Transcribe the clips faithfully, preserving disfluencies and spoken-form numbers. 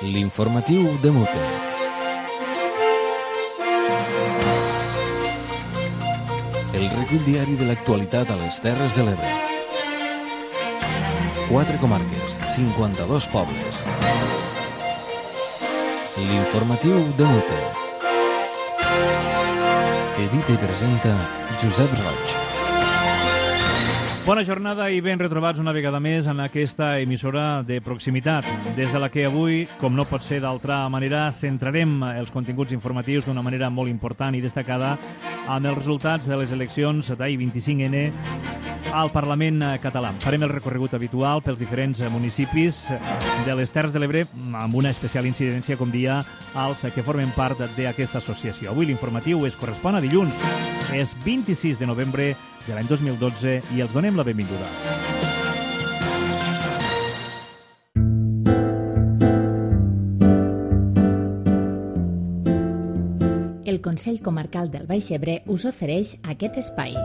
L'informatiu de Mute. El recull diari de l'actualitat a les Terres de l'Ebre. Quatre comarques, cinquanta-dos pobles. L'informatiu de Mute. Edita i presenta Josep Roig. Bona jornada i ben retrobats una vegada més en aquesta emissora de proximitat, des de la que avui, com no pot ser d'altra manera, centrarem els continguts informatius d'una manera molt important i destacada amb els resultats de les eleccions d'ahir vint-i-cinc ene al Parlament català. Farem el recorregut habitual pels diferents municipis de les Terres de l'Ebre amb una especial incidència, com dia, als que formen part d'aquesta associació. Avui l'informatiu es correspon a dilluns. És vint-i-sis de novembre de l'any dos mil dotze i els donem la benvinguda. El Consell Comarcal del Baix Ebre us ofereix aquest espai.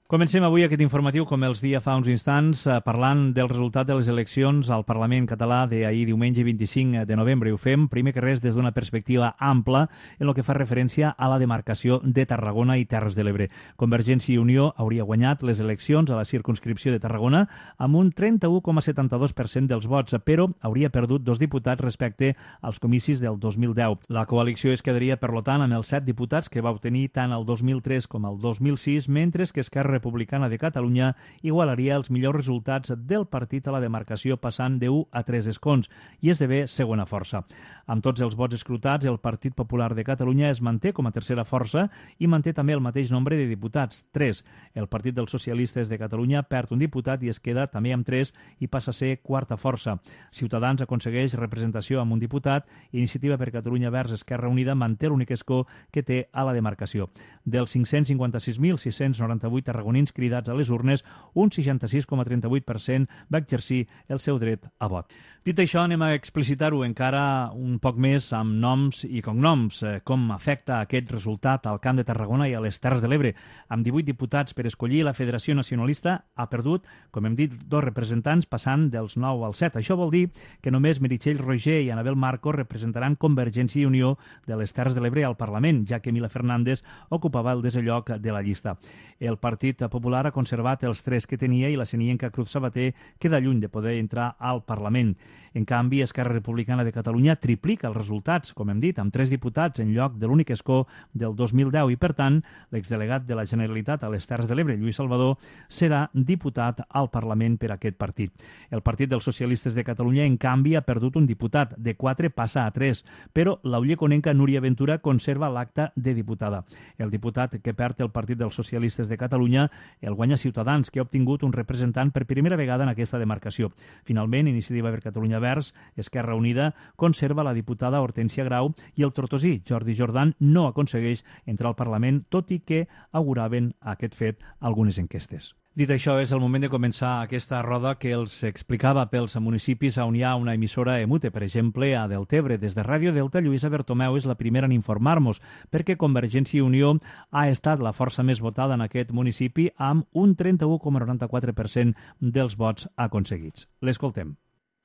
Comencem avui aquest informatiu, com els dia fa uns instants, parlant del resultat de les eleccions al Parlament català d'ahir diumenge vint-i-cinc de novembre. Ho fem, primer que res, des d'una perspectiva ampla en el que fa referència a la demarcació de Tarragona i Terres de l'Ebre. Convergència i Unió hauria guanyat les eleccions a la circumscripció de Tarragona amb un trenta-u coma setanta-dos per cent dels vots, però hauria perdut dos diputats respecte als comicis del dos mil deu. La coalició es quedaria, per tant, amb els set diputats que va obtenir tant el dos mil tres com el dos mil sis, mentre que Esquerra Republicana de Catalunya igualaria els millors resultats del partit a la demarcació, passant d'u a tres escons i esdevé segona força. Amb tots els vots escrutats, el Partit Popular de Catalunya es manté com a tercera força i manté també el mateix nombre de diputats, tres. El Partit dels Socialistes de Catalunya perd un diputat i es queda també amb tres i passa a ser quarta força. Ciutadans aconsegueix representació amb un diputat i Iniciativa per Catalunya Verds Esquerra Unida manté l'únic escó que té a la demarcació. Dels cinc-cents cinquanta-sis mil sis-cents noranta-vuit tarragonins cridats a les urnes, un seixanta-sis coma trenta-vuit per cent va exercir el seu dret a vot. Dit això, anem a explicitar-ho encara un poc més amb noms i cognoms, com afecta aquest resultat al Camp de Tarragona i a les Terres de l'Ebre. Amb divuit diputats per escollir, la Federació Nacionalista ha perdut, com hem dit, dos representants, passant dels nou al set. Això vol dir que només Meritxell Roger i Anabel Marco representaran Convergència i Unió de les Terres de l'Ebre al Parlament, ja que Mila Fernández ocupava el desè lloc de la llista. El Partit Popular ha conservat els tres que tenia i la senienca Cruz Sabater queda lluny de poder entrar al Parlament. En canvi, Esquerra Republicana de Catalunya triplica els resultats, com hem dit, amb tres diputats en lloc de l'únic escó del dos mil deu i, per tant, l'exdelegat de la Generalitat a les Terres de l'Ebre, Lluís Salvador, serà diputat al Parlament per aquest partit. El Partit dels Socialistes de Catalunya, en canvi, ha perdut un diputat, de quatre passa a tres, però l'ulleconenca Núria Ventura conserva l'acta de diputada. El diputat que perd el Partit dels Socialistes de Catalunya el guanya Ciutadans, que ha obtingut un representant per primera vegada en aquesta demarcació. Finalment, Iniciativa per Catalunya Verds, Esquerra Unida, conserva la diputada Hortència Grau i el tortosí Jordi Jordan no aconsegueix entrar al Parlament, tot i que auguraven aquest fet algunes enquestes. Dit això, és el moment de començar aquesta roda que els explicava pels municipis on hi ha una emissora Emute. Per exemple, a Deltebre, des de Ràdio Delta, Lluïsa Bertomeu és la primera en informar-nos, perquè Convergència i Unió ha estat la força més votada en aquest municipi amb un trenta-u coma noranta-quatre per cent dels vots aconseguits. L'escoltem.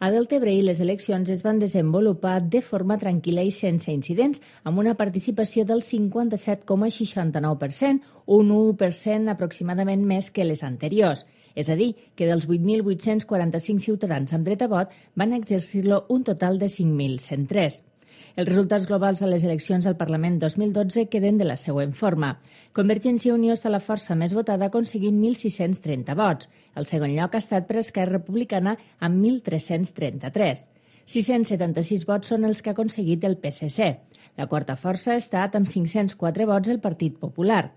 A Deltebre les eleccions es van desenvolupar de forma tranquil·la i sense incidents, amb una participació del cinquanta-set coma seixanta-nou per cent, un u per cent aproximadament més que les anteriors. És a dir, que dels vuit mil vuit-cents quaranta-cinc ciutadans amb dret a vot van exercir-lo un total de cinc mil cent tres. Els resultats globals a les eleccions al Parlament dos mil dotze queden de la següent forma. Convergència i Unió està la força més votada aconseguint mil sis-cents trenta vots. El segon lloc ha estat per Esquerra Republicana amb mil tres-cents trenta-tres. sis-cents setanta-sis vots són els que ha aconseguit el P S C. La quarta força ha estat amb cinc-cents quatre vots el Partit Popular.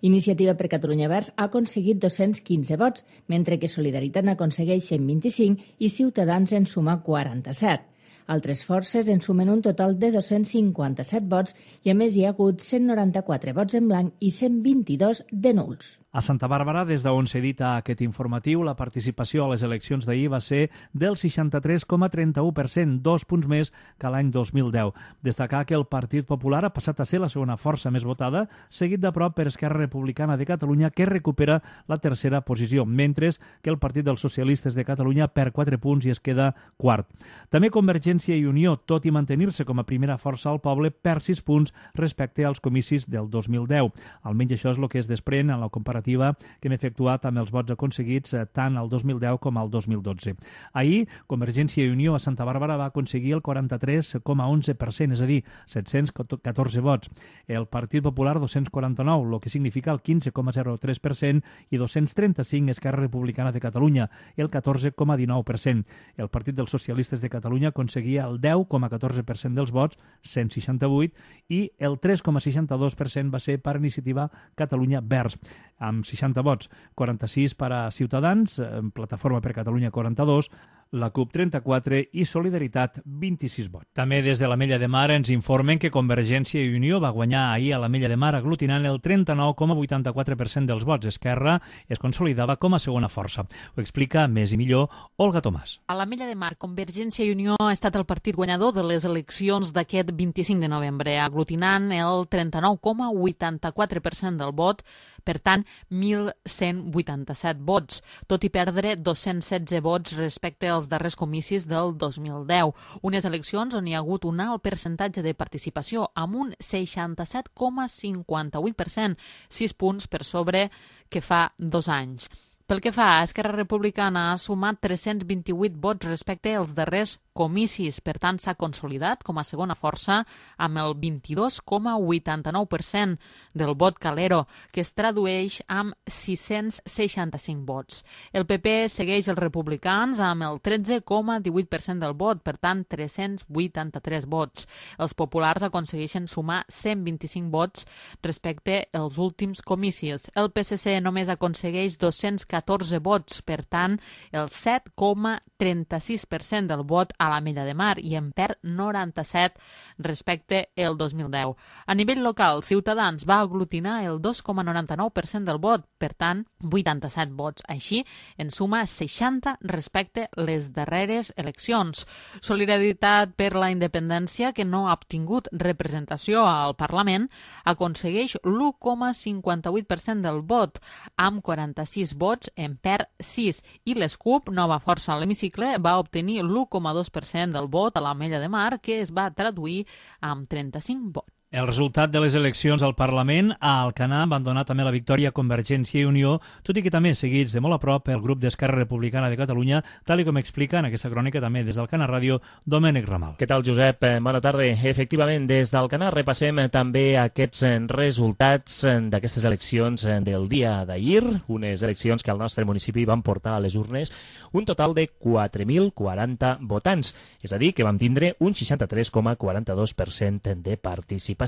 Iniciativa per Catalunya Verds ha aconseguit dos-cents quinze vots, mentre que Solidaritat n'aconsegueix cent vint-i-cinc i Ciutadans en suma quaranta-set. Altres forces en sumen un total de dos-cents cinquanta-set vots i a més hi ha hagut cent noranta-quatre vots en blanc i cent vint-i-dos de nuls. A Santa Bàrbara, des d'on s'edita aquest informatiu, la participació a les eleccions d'ahir va ser del seixanta-tres coma trenta-u per cent, dos punts més que l'any dos mil deu. Destacar que el Partit Popular ha passat a ser la segona força més votada, seguit de prop per Esquerra Republicana de Catalunya, que recupera la tercera posició, mentre que el Partit dels Socialistes de Catalunya perd quatre punts i es queda quart. També Convergència i Unió, tot i mantenir-se com a primera força al poble, perd sis punts respecte als comicis del dos mil deu. Almenys això és el que es desprèn en la comparativa que hem efectuat amb els vots aconseguits tant al dos mil deu com al dos mil dotze. Ahir, Convergència i Unió a Santa Bàrbara va aconseguir el quaranta-tres coma onze per cent, és a dir, set-cents catorze vots. El Partit Popular, dos-cents quaranta-nou, el que significa el quinze coma zero tres per cent, i dos-cents trenta-cinc Esquerra Republicana de Catalunya, el catorze coma dinou per cent. El Partit dels Socialistes de Catalunya aconseguia el deu coma catorze per cent dels vots, cent seixanta-vuit, i el tres coma seixanta-dos per cent va ser per Iniciativa Catalunya Verds, amb seixanta vots, quaranta-sis per a Ciutadans, Plataforma per Catalunya quaranta-dos, la CUP trenta-quatre i Solidaritat vint-i-sis vots. També des de l'Ametlla de Mar ens informen que Convergència i Unió va guanyar ahir a l'Ametlla de Mar aglutinant el trenta-nou coma vuitanta-quatre per cent dels vots. Esquerra es consolidava com a segona força. Ho explica més i millor Olga Tomàs. A l'Ametlla de Mar, Convergència i Unió ha estat el partit guanyador de les eleccions d'aquest vint-i-cinc de novembre, aglutinant el trenta-nou coma vuitanta-quatre per cent del vot, per tant, mil cent vuitanta-set vots, tot i perdre dos-cents setze vots respecte als darrers comicis del dos mil deu. Unes eleccions on hi ha hagut un alt percentatge de participació, amb un seixanta-set coma cinquanta-vuit per cent, sis punts per sobre que fa dos anys. Pel que fa a Esquerra Republicana, ha sumat tres-cents vint-i-vuit vots respecte als darrers comicis, per tant s'ha consolidat com a segona força amb el vint-i-dos coma vuitanta-nou per cent del vot calero, que es tradueix amb sis-cents seixanta-cinc vots. El P P segueix els republicans amb el tretze coma divuit per cent del vot, per tant tres-cents vuitanta-tres vots. Els populars aconsegueixen sumar cent vint-i-cinc vots respecte als últims comicis. El P S C només aconsegueix dos-cents catorze vots, per tant el set coma trenta-sis per cent del vot a l'Ametlla de Mar i en perd noranta-set respecte al dos mil deu. A nivell local, Ciutadans va aglutinar el dos coma noranta-nou per cent del vot, per tant, vuitanta-set vots. Així, en suma seixanta respecte les darreres eleccions. Solidaritat per la Independència, que no ha obtingut representació al Parlament, aconsegueix l'u coma cinquanta-vuit per cent del vot, amb quaranta-sis vots en perd sis, i les CUP, nova força a l'hemicicle, va obtenir l'u coma dos per cent del vot a l'Ametlla de Mar, que es va traduir amb trenta-cinc vots. El resultat de les eleccions al Parlament a Alcanar van donar també la victòria a Convergència i Unió, tot i que també seguits de molt a prop pel grup d'Esquerra Republicana de Catalunya, tal i com explica en aquesta crònica també des d'Alcanar Ràdio, Domènec Ramal. Què tal, Josep? Bona tarda. Efectivament, des d'Alcanar repassem també aquests resultats d'aquestes eleccions del dia d'ahir, unes eleccions que al nostre municipi van portar a les urnes un total de quatre mil quaranta votants, és a dir, que vam tindre un seixanta-tres coma quaranta-dos per cent de participació.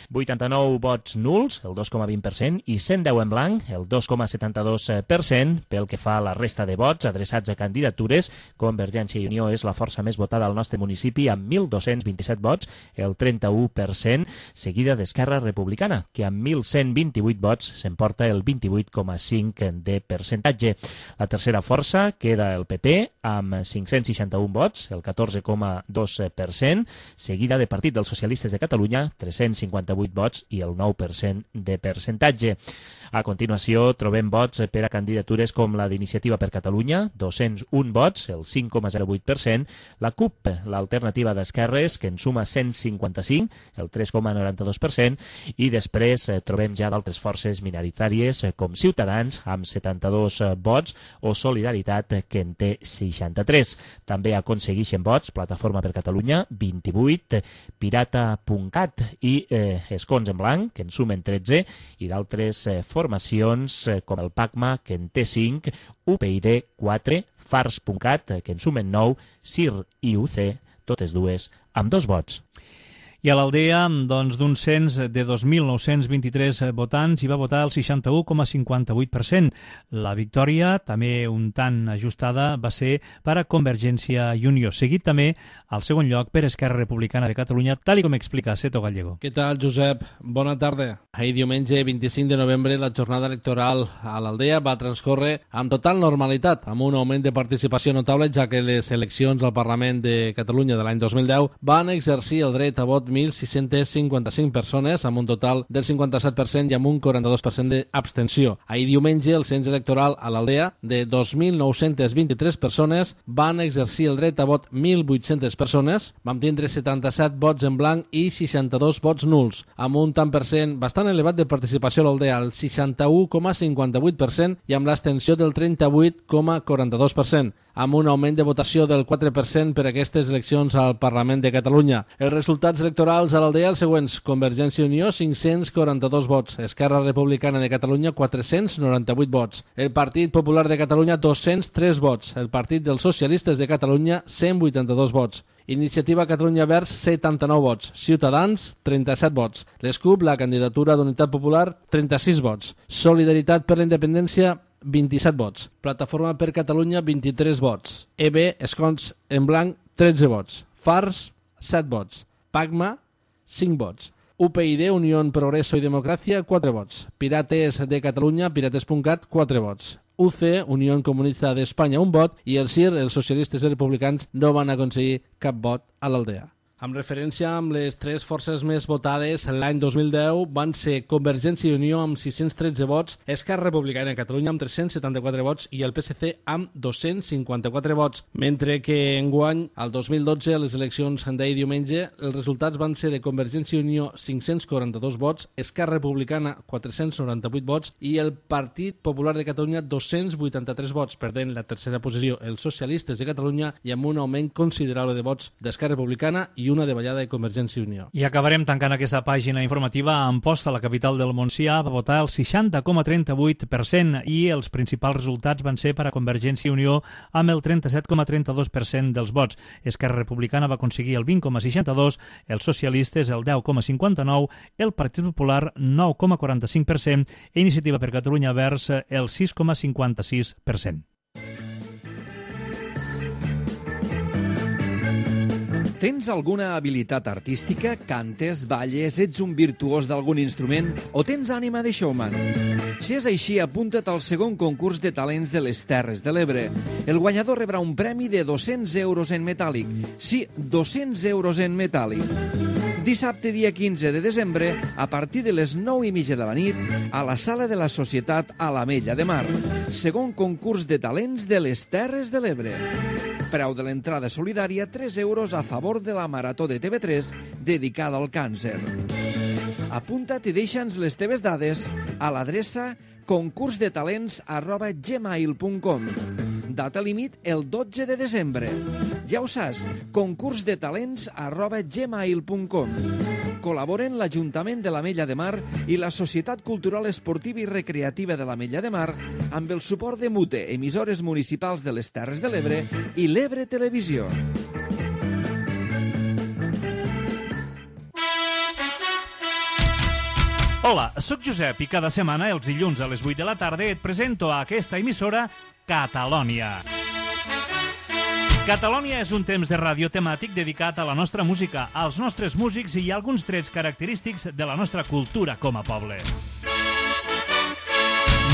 vuitanta-nou vots nuls, el dos coma vint per cent, i cent deu en blanc, el dos coma setanta-dos per cent. Pel que fa a la resta de vots adreçats a candidatures, Convergència i Unió és la força més votada al nostre municipi amb mil dos-cents vint-i-set vots, el trenta-u per cent, seguida d'Esquerra Republicana, que amb mil cent vint-i-vuit vots s'emporta el vint-i-vuit coma cinc de percentatge. La tercera força queda el P P amb cinc-cents seixanta-un vots, el catorze coma dos per cent, seguida de Partit dels Socialistes de Catalunya, tres-cents cinquanta-vuit vots i el nou per cent de percentatge. A continuació, trobem vots per a candidatures com la d'Iniciativa per Catalunya, dos-cents un vots, el cinc coma zero vuit per cent, la CUP, l'alternativa d'esquerres, que en suma cent cinquanta-cinc, el tres coma noranta-dos per cent, i després eh, trobem ja d'altres forces minoritàries eh, com Ciutadans, amb setanta-dos vots, o Solidaritat, que en té seixanta-tres. També aconsegueixen vots Plataforma per Catalunya, vint-i-vuit, Pirata.cat i eh, Escons en Blanc, que en sumen tretze, i d'altres eh, formacions eh, com el PACMA, que en té cinc, U P I D quatre, Fars.cat, que en sumen nou, C I R i U C, totes dues amb dos vots. I a l'Aldea, doncs, d'un cens de dos mil nou-cents vint-i-tres votants, hi va votar el seixanta-u coma cinquanta-vuit per cent. La victòria, també un tant ajustada, va ser per a Convergència i Unió, seguit també al segon lloc per Esquerra Republicana de Catalunya, tal com explica Seto Gallego. Què tal, Josep? Bona tarda. Ahir diumenge vint-i-cinc de novembre la jornada electoral a l'Aldea va transcórrer amb total normalitat, amb un augment de participació notable, ja que les eleccions al Parlament de Catalunya de l'any dos mil deu van exercir el dret a vot mil sis-cents cinquanta-cinc persones, amb un total del cinquanta-set per cent i amb un quaranta-dos per cent d'abstenció. Ahir diumenge el cens electoral a l'Aldea de dos mil nou-cents vint-i-tres persones van exercir el dret a vot mil vuit-centes persones, vam tindre setanta-set vots en blanc i seixanta-dos vots nuls, amb un tant per cent bastant elevat de participació a l'Aldea, el seixanta-u coma cinquanta-vuit per cent i amb l'abstenció del trenta-vuit coma quaranta-dos per cent, amb un augment de votació del quatre per cent per aquestes eleccions al Parlament de Catalunya. Els resultats electorals a l'Aldea els següents: Convergència i Unió, cinc-cents quaranta-dos vots, Esquerra Republicana de Catalunya, quatre-cents noranta-vuit vots, el Partit Popular de Catalunya, dos-cents tres vots, el Partit dels Socialistes de Catalunya, cent vuitanta-dos vots, Iniciativa Catalunya Verds, setanta-nou vots, Ciutadans, trenta-set vots, l'S C U P, la candidatura d'Unitat Popular, trenta-sis vots, Solidaritat per la Independència, vint-i-set vots, Plataforma per Catalunya, vint-i-tres vots, E B, Escons en Blanc, tretze vots, Fars, set vots, Pagma, cinc vots, U P y D, Unió Progreso i Democràcia, quatre vots, Pirates de Catalunya, pirates punt cat, quatre vots, U C, Unió Comunista d'Espanya, un vot, i el C I R, els socialistes i republicans, no van aconseguir cap vot a l'Aldea. Amb referència amb les tres forces més votades l'any dos mil deu van ser Convergència i Unió amb sis-cents tretze vots, Esquerra Republicana de Catalunya amb tres-cents setanta-quatre vots i el P S C amb dos-cents cinquanta-quatre vots. Mentre que enguany, al dos mil dotze, a les eleccions d'ahir diumenge, els resultats van ser de Convergència i Unió cinc-cents quaranta-dos vots, Esquerra Republicana quatre-cents noranta-vuit vots i el Partit Popular de Catalunya dos-cents vuitanta-tres vots, perdent la tercera posició els socialistes de Catalunya i amb un augment considerable de vots d'Esquerra Republicana i una davallada de Convergència i Unió. I acabarem tancant aquesta pàgina informativa. A Amposta, la capital del Montsià, va votar el seixanta coma trenta-vuit per cent i els principals resultats van ser per a Convergència i Unió amb el trenta-set coma trenta-dos per cent dels vots. Esquerra Republicana va aconseguir el vint coma seixanta-dos, els socialistes el deu coma cinquanta-nou, el Partit Popular nou coma quaranta-cinc per cent i Iniciativa per Catalunya Verds el sis coma cinquanta-sis per cent. Tens alguna habilitat artística? Cantes, balles, ets un virtuós d'algun instrument o tens ànima de showman? Si és així, apunta't al segon concurs de talents de les Terres de l'Ebre. El guanyador rebrà un premi de dos-cents euros en metàl·lic. Sí, dos-cents euros en metàl·lic. Dissabte, dia quinze de desembre, a partir de les nou i mitja de la nit, a la Sala de la Societat a l'Ametlla de Mar. Segon concurs de talents de les Terres de l'Ebre. Preu de l'entrada solidària, tres euros a favor de la Marató de T V tres dedicada al càncer. Apunta't i deixa'ns les teves dades a l'adreça concursdetalents arroba gmail punt com. Data límit el dotze de desembre. Ja ho saps, concursdetalents arroba gmail punt com. Col·laboren l'Ajuntament de l'Ametlla de Mar i la Societat Cultural Esportiva i Recreativa de l'Ametlla de Mar amb el suport de MUTE, emissores municipals de les Terres de l'Ebre i l'Ebre Televisió. Hola, sóc Josep i cada setmana, els dilluns a les vuit de la tarda, et presento a aquesta emissora Catalònia. Catalònia és un temps de ràdio temàtic dedicat a la nostra música, als nostres músics i a alguns trets característics de la nostra cultura com a poble.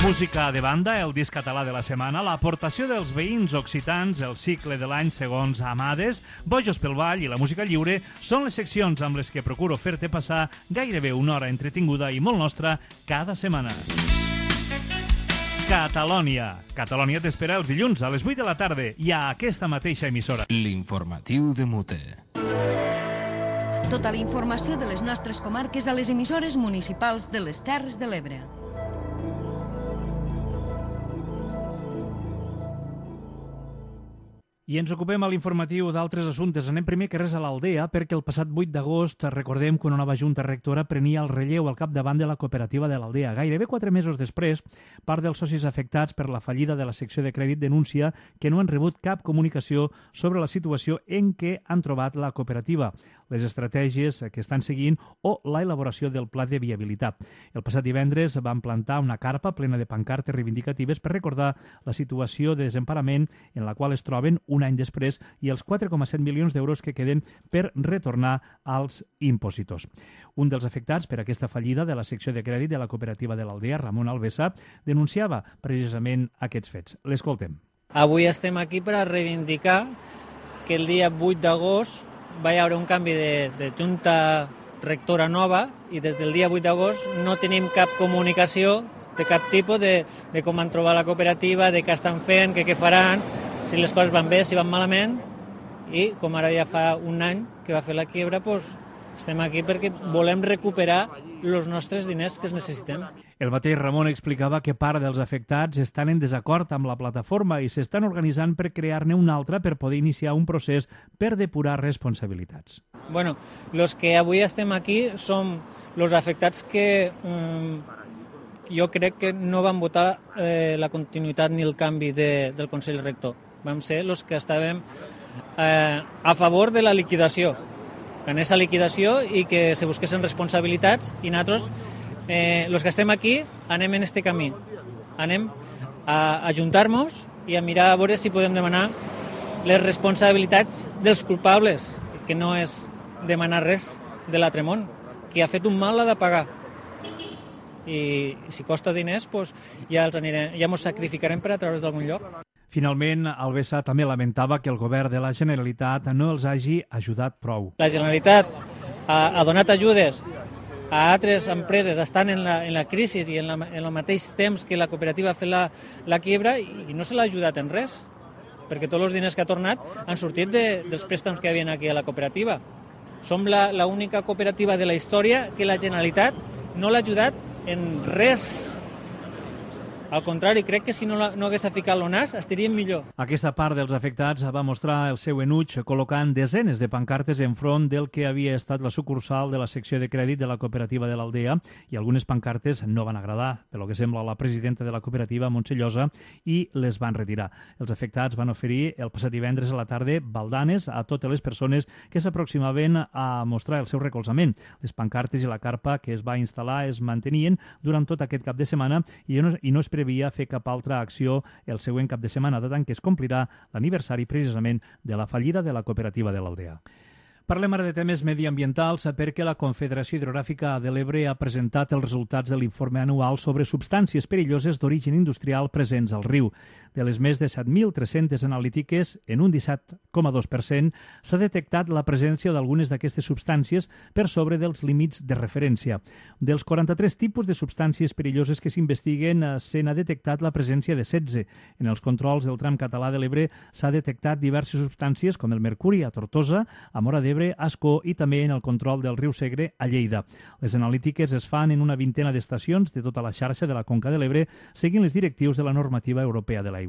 Música de banda, el disc català de la setmana, l'aportació dels veïns occitans, el cicle de l'any segons Amades, Bojos pel Ball i la música lliure són les seccions amb les que procuro fer-te passar gairebé una hora entretinguda i molt nostra cada setmana. Catalònia. Catalònia t'espera els dilluns a les vuit de la tarda i a aquesta mateixa emissora. L'informatiu de Mute. Tota la informació de les nostres comarques a les emissores municipals de les Terres de l'Ebre. I ens ocupem a l'informatiu d'altres assumptes. Anem primer que res a l'Aldea, perquè el passat vuit d'agost, recordem que una nova junta rectora prenia el relleu al capdavant de la cooperativa de l'Aldea. Gairebé quatre mesos després, part dels socis afectats per la fallida de la secció de crèdit denuncia que no han rebut cap comunicació sobre la situació en què han trobat la cooperativa. les estratègies que estan seguint o la elaboració del pla de viabilitat. El passat divendres van plantar una carpa plena de pancartes reivindicatives per recordar la situació de desemparament en la qual es troben un any després i els quatre coma set milions d'euros que queden per retornar als impositors. Un dels afectats per aquesta fallida de la secció de crèdit de la cooperativa de l'Aldea, Ramon Alvesa, denunciava precisament aquests fets. L'escoltem. Avui estem aquí per a reivindicar que el dia vuit d'agost va haver un canvi de, de junta rectora nova i des del dia vuit d'agost no tenim cap comunicació de cap tipus de, de com van trobar la cooperativa, de què estan fent, que què faran, si les coses van bé, si van malament, i com ara ja fa un any que va fer la quiebra, doncs estem aquí perquè volem recuperar els nostres diners que necessitem. El mateix Ramon explicava que part dels afectats estan en desacord amb la plataforma i s'estan organitzant per crear-ne una altra per poder iniciar un procés per depurar responsabilitats. Bueno, els que avui estem aquí som els afectats que um, jo crec que no van votar eh, la continuïtat ni el canvi de, del Consell Rector. Vam ser els que estàvem eh, a favor de la liquidació, que anés a liquidació i que se busquessin responsabilitats i nosaltres, eh, els que estem aquí, anem en este camí. Anem a ajuntar-nos i a mirar a veure si podem demanar les responsabilitats dels culpables, que no és demanar res de l'altre món. Qui ha fet un mal l'ha de pagar. I si costa diners, doncs ja els anirem, ja ens sacrificarem per a treure's d'algun lloc. Finalment, Alvesa també lamentava que el govern de la Generalitat no els hagi ajudat prou. La Generalitat ha, ha donat ajudes a altres empreses, estan en la, en la crisi i en, la, en el mateix temps que la cooperativa ha fet la, la quiebra i, i no se l'ha ajudat en res, perquè tots els diners que ha tornat han sortit de, dels préstecs que hi havia aquí a la cooperativa. Som l'única cooperativa de la història que la Generalitat no l'ha ajudat en res. Al contrari, crec que si no, la, no hagués ficat l'O N A S estaríem millor. Aquesta part dels afectats va mostrar el seu enuig col·locant desenes de pancartes enfront del que havia estat la sucursal de la secció de crèdit de la cooperativa de l'Aldea i algunes pancartes no van agradar, pel que sembla a la presidenta de la cooperativa, Montse Llosa, i les van retirar. Els afectats van oferir el passat divendres a la tarda baldanes a totes les persones que s'aproximaven a mostrar el seu recolzament. Les pancartes i la carpa que es va instal·lar es mantenien durant tot aquest cap de setmana i no, i no es previa fer cap altra acció el següent cap de setmana, de tant que es complirà l'aniversari precisament de la fallida de la cooperativa de l'Aldea. Parlem ara de temes mediambientals perquè la Confederació Hidrogràfica de l'Ebre ha presentat els resultats de l'informe anual sobre substàncies perilloses d'origen industrial presents al riu. De les més de set mil tres-centes analítiques, en un disset coma dos per cent s'ha detectat la presència d'algunes d'aquestes substàncies per sobre dels límits de referència. Dels quaranta-tres tipus de substàncies perilloses que s'investiguen, se n'ha detectat la presència de setze. En els controls del tram català de l'Ebre s'ha detectat diverses substàncies com el mercuri a Tortosa, a Móra d'Ebre, a Ascó i també en el control del riu Segre a Lleida. Les analítiques es fan en una vintena d'estacions de tota la xarxa de la Conca de l'Ebre, seguint les directius de la normativa europea de l'aigua.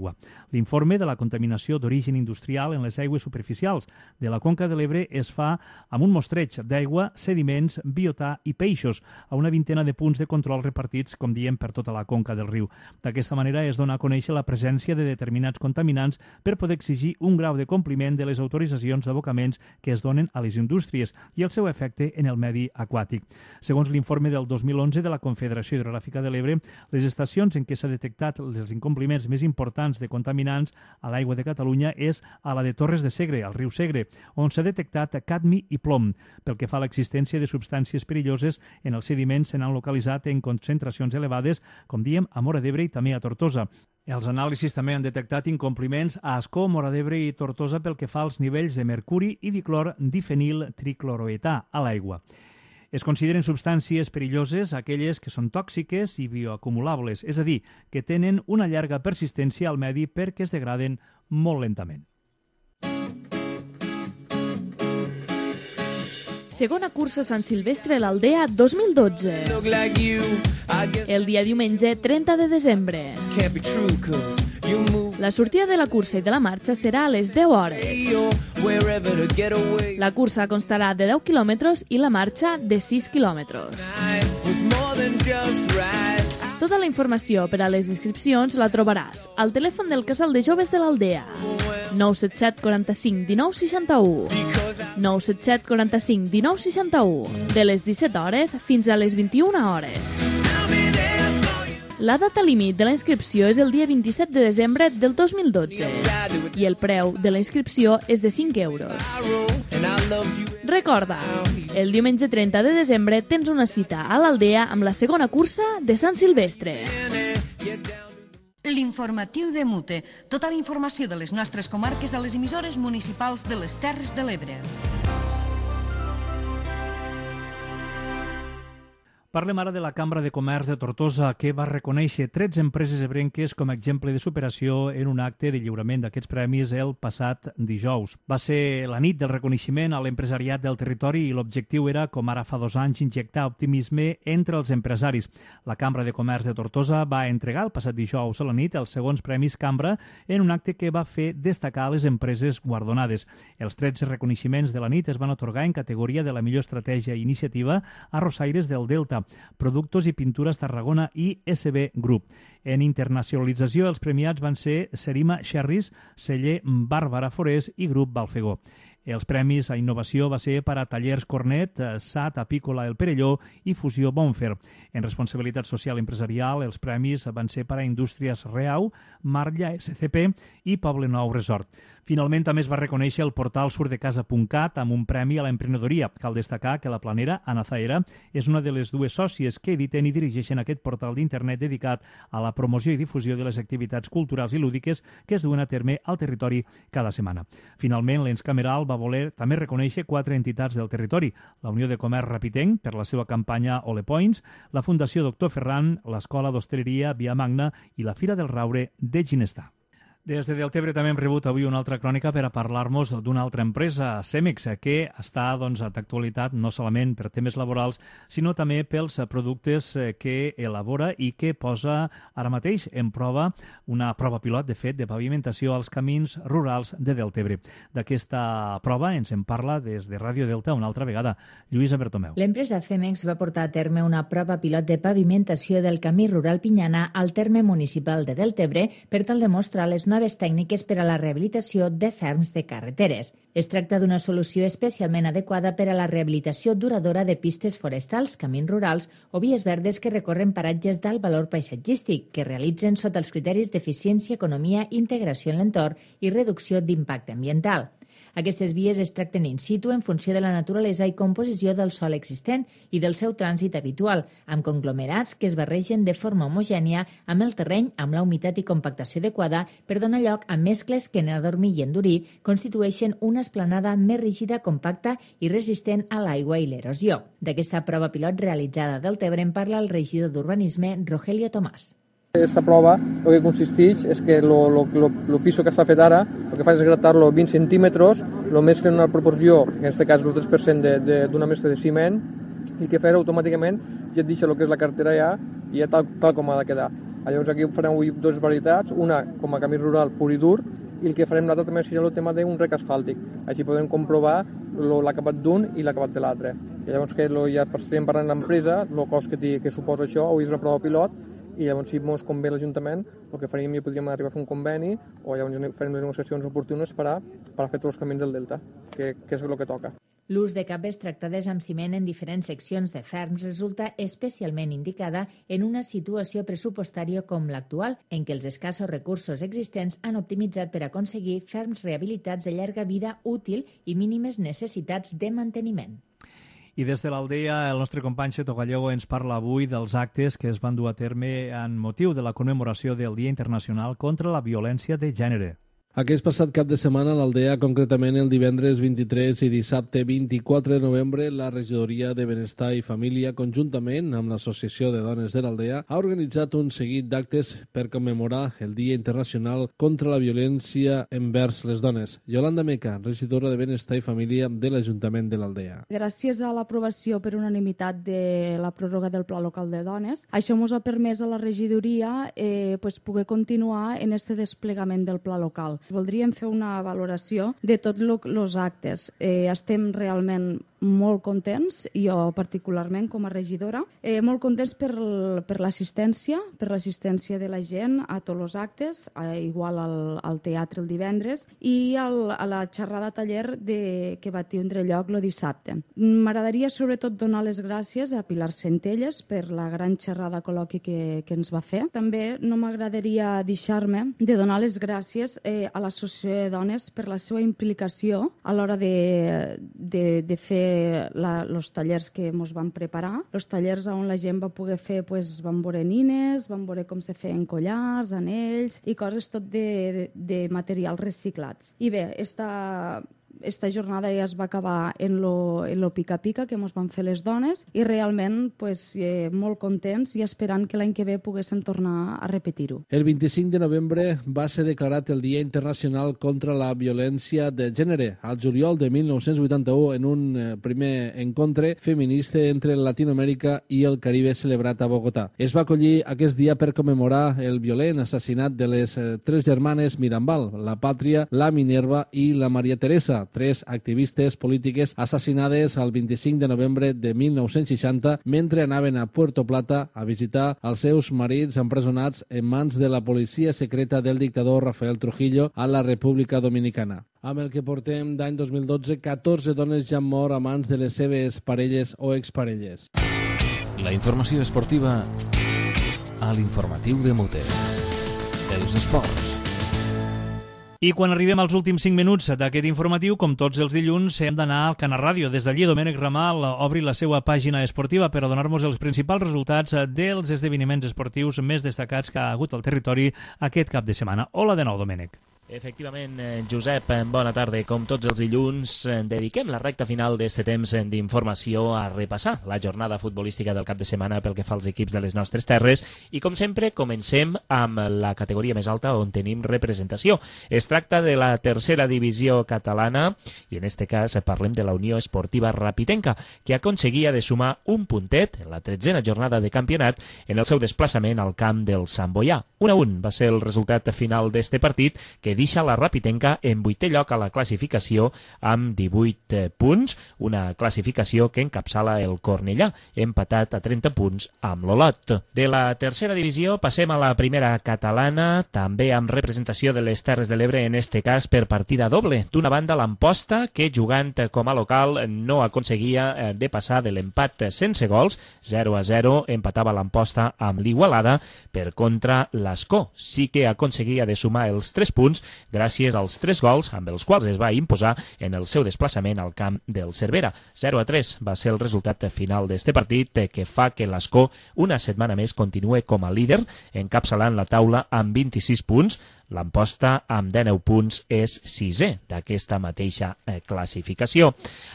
L'informe de la contaminació d'origen industrial en les aigües superficials de la Conca de l'Ebre es fa amb un mostreig d'aigua, sediments, biotà i peixos a una vintena de punts de control repartits, com diem, per tota la conca del riu. D'aquesta manera es dona a conèixer la presència de determinats contaminants per poder exigir un grau de compliment de les autoritzacions d'abocaments que es donen a les indústries i el seu efecte en el medi aquàtic. Segons l'informe del dos mil onze de la Confederació Hidrogràfica de l'Ebre, les estacions en què s'ha detectat els incompliments més importants de contaminants a l'aigua de Catalunya és a la de Torres de Segre, al riu Segre, on s'ha detectat cadmi i plom. Pel que fa a l'existència de substàncies perilloses, en els sediments se n'han localitzat en concentracions elevades, com diem, a Móra d'Ebre i també a Tortosa. Els anàlisis també han detectat incompliments a Ascó, Móra d'Ebre i Tortosa pel que fa als nivells de mercuri i diclor difenil tricloroetà a l'aigua. Es consideren substàncies perilloses aquelles que són tòxiques i bioacumulables, és a dir, que tenen una llarga persistència al medi perquè es degraden molt lentament. Segona cursa Sant Silvestre a l'Aldea dos mil dotze. El dia diumenge trenta de desembre. La sortida de la cursa i de la marxa serà a les deu hores. La cursa constarà de deu quilòmetres i la marxa de sis quilòmetres. Tota la informació per a les inscripcions la trobaràs al telèfon del Casal de Joves de l'Aldea. nou set set quaranta-cinc dinou seixanta-u. nou set set quaranta-cinc dinou seixanta-u. De les disset hores fins a les vint-i-una hores. La data límit de la inscripció és el dia vint-i-set de desembre del dos mil dotze i el preu de la inscripció és de cinc euros. Recorda, el diumenge trenta de desembre tens una cita a l'Aldea amb la segona cursa de Sant Silvestre. L'informatiu de Mute. Tota la informació de les nostres comarques a les emissores municipals de les Terres de l'Ebre. Parlem ara de la Cambra de Comerç de Tortosa, que va reconèixer tretze empreses ebrenques com a exemple de superació en un acte de lliurament d'aquests premis el passat dijous. Va ser la nit del reconeixement a l'empresariat del territori i l'objectiu era, com ara fa dos anys, injectar optimisme entre els empresaris. La Cambra de Comerç de Tortosa va entregar el passat dijous a la nit els segons premis Cambra en un acte que va fer destacar les empreses guardonades. Els tretze reconeixements de la nit es van atorgar en categoria de la millor estratègia i iniciativa a Rosaires del Delta, Productos i Pintures Tarragona i S B Group. En internacionalització, els premiats van ser Serima Sherris, celler Bàrbara Forés i Grup Balfegó. Els premis a innovació va ser per a Tallers Cornet, S A T Apícola El Perelló i Fusió Bonfer. En responsabilitat social empresarial, els premis van ser per a Indústries Reau, Marlla S C P i Poble Nou Resort. Finalment, també es va reconèixer el portal surdecasa punt cat amb un premi a l'emprenedoria. Cal destacar que la planera, Ana Zaera, és una de les dues sòcies que editen i dirigeixen aquest portal d'internet dedicat a la promoció i difusió de les activitats culturals i lúdiques que es duen a terme al territori cada setmana. Finalment, l'ens cameral va voler també reconèixer quatre entitats del territori: la Unió de Comerç Rapitenc, per la seva campanya Ole Points, la Fundació Doctor Ferran, l'Escola d'Hostaleria Via Magna i la Fira del Raure de Ginestà. Des de Deltebre també hem rebut avui una altra crònica per a parlar-nos d'una altra empresa, Cemex, que està doncs, d'actualitat no solament per temes laborals, sinó també pels productes que elabora i que posa ara mateix en prova una prova pilot, de fet, de pavimentació als camins rurals de Deltebre. D'aquesta prova ens en parla des de Ràdio Delta una altra vegada. Lluïsa Bertomeu. L'empresa Cemex va portar a terme una prova pilot de pavimentació del camí rural Pinyana al terme municipal de Deltebre per tal de mostrar les noves tècniques per a la rehabilitació de ferms de carreteres. Es tracta d'una solució especialment adequada per a la rehabilitació duradora de pistes forestals, camins rurals o vies verdes que recorren paratges d'alt valor paisatgístic, que realitzen sota els criteris d'eficiència, economia, integració en l'entorn i reducció d'impacte ambiental. Aquestes vies es tracten in situ en funció de la naturalesa i composició del sòl existent i del seu trànsit habitual, amb conglomerats que es barregen de forma homogènia amb el terreny, amb la humitat i compactació adequada per donar lloc a mescles que en adormir i endurir constitueixen una esplanada més rígida, compacta i resistent a l'aigua i l'erosió. D'aquesta prova pilot realitzada del Deltebre en parla el regidor d'Urbanisme, Rogelio Tomàs. Esta prova el que consisteix és que el piso que està fet ara el que fa és gratar-lo vint centímetres, el mescla en una proporció, en aquest cas el tres per cent d'una mescla de ciment, i que farà automàticament ja et deixa el que és la carretera ja i ja tal, tal com ha de quedar. Llavors aquí farem avui dues varietats, una com a camí rural pur i dur, i el que farem l'altre també serà el tema d'un rec asfàltic. Així podem comprovar l'acabat d'un i l'acabat de l'altre. I llavors que ja estem parlant l'empresa, el cost que, que suposa això, avui és una prova pilot, i llavors si ens convé l'Ajuntament el que faríem ja podríem arribar a fer un conveni o llavors farem les negociacions oportunes per a, per a fer tots els camins del Delta, que, que és el que toca. L'ús de capes tractades amb ciment en diferents seccions de ferms resulta especialment indicada en una situació pressupostària com l'actual, en què els escassos recursos existents han optimitzat per aconseguir ferms rehabilitats de llarga vida útil i mínimes necessitats de manteniment. I des de l'Aldea, el nostre company Xeto Gallego ens parla avui dels actes que es van dur a terme en motiu de la commemoració del Dia Internacional contra la Violència de Gènere. Aquest passat cap de setmana a l'Aldea, concretament el divendres vint-i-tres i dissabte vint-i-quatre de novembre, la Regidoria de Benestar i Família, conjuntament amb l'Associació de Dones de l'Aldea, ha organitzat un seguit d'actes per commemorar el Dia Internacional contra la Violència envers les dones. Yolanda Meca, regidora de Benestar i Família de l'Ajuntament de l'Aldea. Gràcies a l'aprovació per unanimitat de la pròrroga del Pla Local de Dones, això ens ha permès a la regidoria eh, pues, poder continuar en este desplegament del Pla Local. Voldríem fer una valoració de tots els actes. Eh, estem realment molt contents, jo particularment com a regidora, eh, molt contents per, per l'assistència, per l'assistència de la gent a tots els actes, eh, igual al, al teatre el divendres, i al, a la xerrada taller de, que va tindre lloc el dissabte. M'agradaria sobretot donar les gràcies a Pilar Centelles per la gran xerrada col·loqui que, que ens va fer. També no m'agradaria deixar-me de donar les gràcies eh, a l'Associació de Dones per la seva implicació a l'hora de, de, de fer els tallers que ens van preparar, els tallers on la gent va poder fer, pues, van veure nines, van veure com se feien collars, anells i coses tot de, de, de materials reciclats. I bé, esta... Esta jornada ja es va acabar en lo, en lo pica-pica que ens van fer les dones i realment pues, eh, molt contents i esperant que l'any que ve poguéssim tornar a repetir-ho. El vint-i-cinc de novembre va ser declarat el Dia Internacional contra la Violència de Gènere, al juliol de mil nou-cents vuitanta-u, en un eh, primer encontre feminista entre Latinoamèrica i el Caribe celebrat a Bogotà. Es va acollir aquest dia per commemorar el violent assassinat de les eh, tres germanes Mirambal, la Pàtria, la Minerva i la Maria Teresa, tres activistes polítiques assassinades el vint-i-cinc de novembre de mil nou-cents seixanta mentre anaven a Puerto Plata a visitar els seus marits empresonats en mans de la policia secreta del dictador Rafael Trujillo a la República Dominicana. Amb el que portem d'any dos mil dotze, catorze dones ja han mort a mans de les seves parelles o exparelles. La informació esportiva a l'informatiu de Mote. Els esports. I quan arribem als últims cinc minuts d'aquest informatiu, com tots els dilluns, hem d'anar al Canal Ràdio. Des d'allí, Domènec Ramal obri la seva pàgina esportiva per a donar-nos els principals resultats dels esdeveniments esportius més destacats que ha hagut al territori aquest cap de setmana. Hola de nou, Domènec. Efectivament, Josep, bona tarda. Com tots els dilluns, dediquem la recta final d'este temps d'informació a repassar la jornada futbolística del cap de setmana pel que fa als equips de les nostres terres i, com sempre, comencem amb la categoria més alta on tenim representació. Es tracta de la tercera divisió catalana i, en este cas, parlem de la Unió Esportiva Rapitenca, que aconseguia de sumar un puntet en la tretzena jornada de campionat en el seu desplaçament al camp del Sant Boià. un a un va ser el resultat final d'este partit, que deixa la Rapitenca en vuitè lloc a la classificació amb divuit punts, una classificació que encapçala el Cornellà, empatat a trenta punts amb l'Olot. De la tercera divisió passem a la primera catalana, també amb representació de les Terres de l'Ebre, en este cas per partida doble. D'una banda, l'Amposta, que jugant com a local no aconseguia de passar de l'empat sense gols, zero a zero, empatava l'Amposta amb l'Igualada. Per contra, l'Escó sí que aconseguia de sumar els tres punts gràcies als tres gols amb els quals es va imposar en el seu desplaçament al camp del Cervera. zero a tres va ser el resultat final d'este partit, que fa que l'Escó una setmana més continue com a líder, encapçalant la taula amb vint-i-sis punts. L'Amposta, amb dinou punts, és sisè d'aquesta mateixa eh, classificació.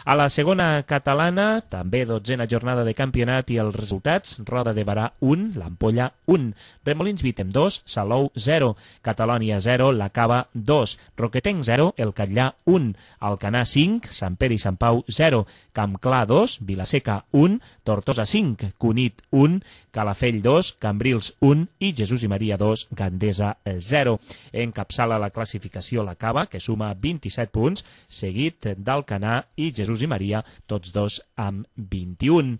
A la segona catalana, també dotzena jornada de campionat i els resultats: Roda de Barà un, l'Ampolla un, Remolins Vítem dos, Salou zero, Catalònia zero, La Cava dos, Roquetenc zero, El Catllà un, Alcanar cinc, Sant Pere i Sant Pau zero, Campclar dos, Vilaseca un, Tortosa cinc, Cunit un, Calafell dos, Cambrils un i Jesús i Maria dos, Gandesa zero. Encapçala la classificació la Cava, que suma vint-i-set punts, seguit d'Alcanar i Jesús i Maria, tots dos amb vint-i-un.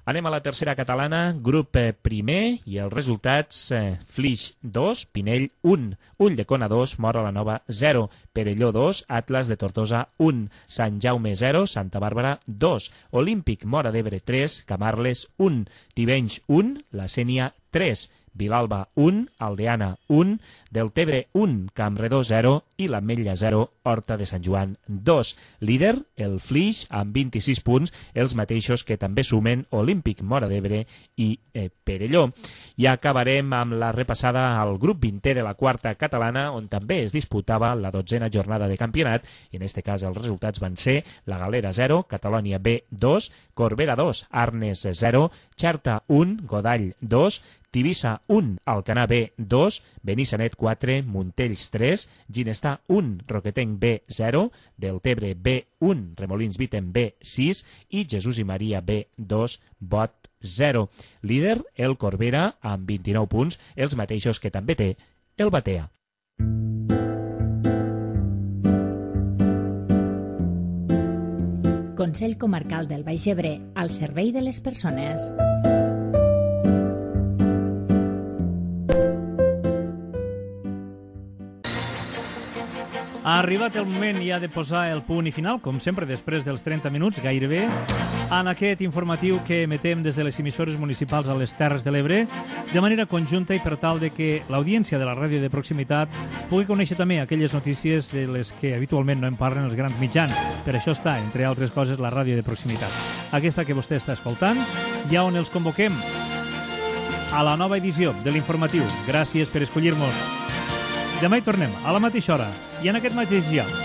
Anem a la tercera catalana, grup primer, i els resultats: eh, Flix dos, Pinell un, Ulldecona dos, Móra la Nova zero, Perelló dos, Atlas de Tortosa un, Sant Jaume zero, Santa Bàrbara dos, Olímpic Móra d'Ebre tres, Camarles un, Tivenys un, La Sénia tres, Vilalba un, Aldeana un, Deltebre un, Campredó zero i l'Ametlla zero, Horta de Sant Joan dos. Líder, el Flix, amb vint-i-sis punts, els mateixos que també sumen Olímpic Móra d'Ebre i eh, Perelló. I acabarem amb la repassada al grup vintè de la quarta catalana, on també es disputava la dotzena jornada de campionat, i en este cas els resultats van ser La Galera zero, Catalònia B dos, Corbera dos, Arnes zero, Xerta un, Godall dos, Tivissa un, Alcanar B dos, Benissanet quatre, Montells tres, Ginestar un, Roquetenc B zero, Deltebre B un, Remolins Vítem B sis i Jesús i Maria B dos, Bot zero. Líder, el Corbera, amb vint-i-nou punts, els mateixos que també té el Batea. Consell Comarcal del Baix Ebre, al servei de les persones. Ha arribat el moment ja de posar el punt i final, com sempre, després dels trenta minuts, gairebé, en aquest informatiu que emetem des de les emissores municipals a les Terres de l'Ebre, de manera conjunta i per tal de que l'audiència de la ràdio de proximitat pugui conèixer també aquelles notícies de les que habitualment no en parlen els grans mitjans. Per això està, entre altres coses, la ràdio de proximitat. Aquesta que vostè està escoltant, ja on els convoquem a la nova edició de l'informatiu. Gràcies per escollir-nos. Demà hi tornem, a la mateixa hora i en aquest mateix lloc.